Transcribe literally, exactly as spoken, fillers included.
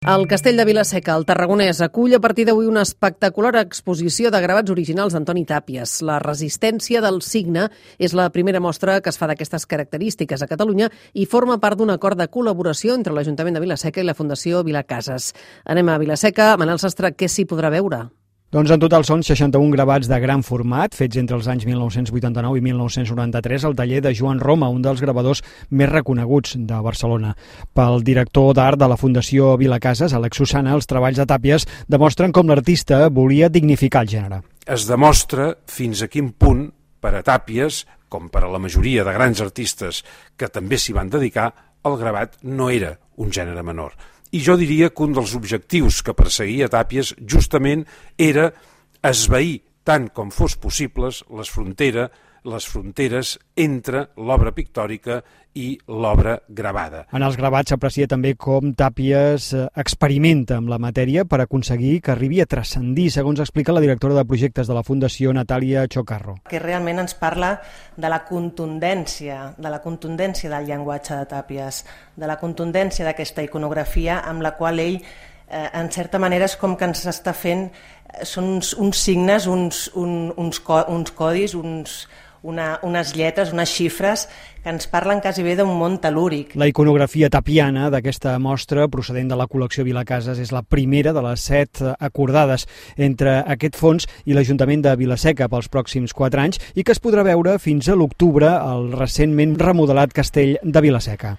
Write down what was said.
El Castell de Vila-seca, al Tarragonès, acull a partir d'avui una espectacular exposició de gravats originals d'Antoni Tàpies. La resistència del signe és la primera mostra que es fa d'aquestes característiques a Catalunya i forma part d'un acord de col·laboració entre l'Ajuntament de Vila-seca i la Fundació Vilacases. Anem a Vila-seca. Manel Sastre, què s'hi podrà veure? Doncs en total són seixanta-un gravats de gran format, fets entre els anys mil nou-cents vuitanta-nou i mil nou-cents noranta-tres al taller de Joan Roma, un dels gravadors més reconeguts de Barcelona. Pel director d'art de la Fundació Vilacases, Àlex Susana, els treballs de Tàpies demostren com l'artista volia dignificar el gènere. Es demostra fins a quin punt, per a Tàpies, com per a la majoria de grans artistes que també s'hi van dedicar, el gravat no era un gènere menor. I jo diria que un dels objectius que perseguia Tàpies justament era esvair tant com fos possibles les fronteres, les fronteres entre l'obra pictòrica i l'obra gravada. En els gravats s'aprecia també com Tàpies experimenta amb la matèria per aconseguir que arribi a transcendir, segons explica la directora de projectes de la Fundació, Natàlia Chocarro. Que realment ens parla de la contundència, de la contundència del llenguatge de Tàpies, de la contundència d'aquesta iconografia amb la qual ell, eh, en certa manera, és com que ens està fent, són uns, uns signes, uns, un, uns, co, uns codis, uns... Una, unes lletres, unes xifres que ens parlen quasi bé d'un món tel·lúric. La iconografia tapiana d'aquesta mostra, procedent de la col·lecció Vilacases, és la primera de les set acordades entre aquest fons i l'Ajuntament de Vila-seca pels pròxims quatre anys i que es podrà veure fins a l'octubre al recentment remodelat Castell de Vila-seca.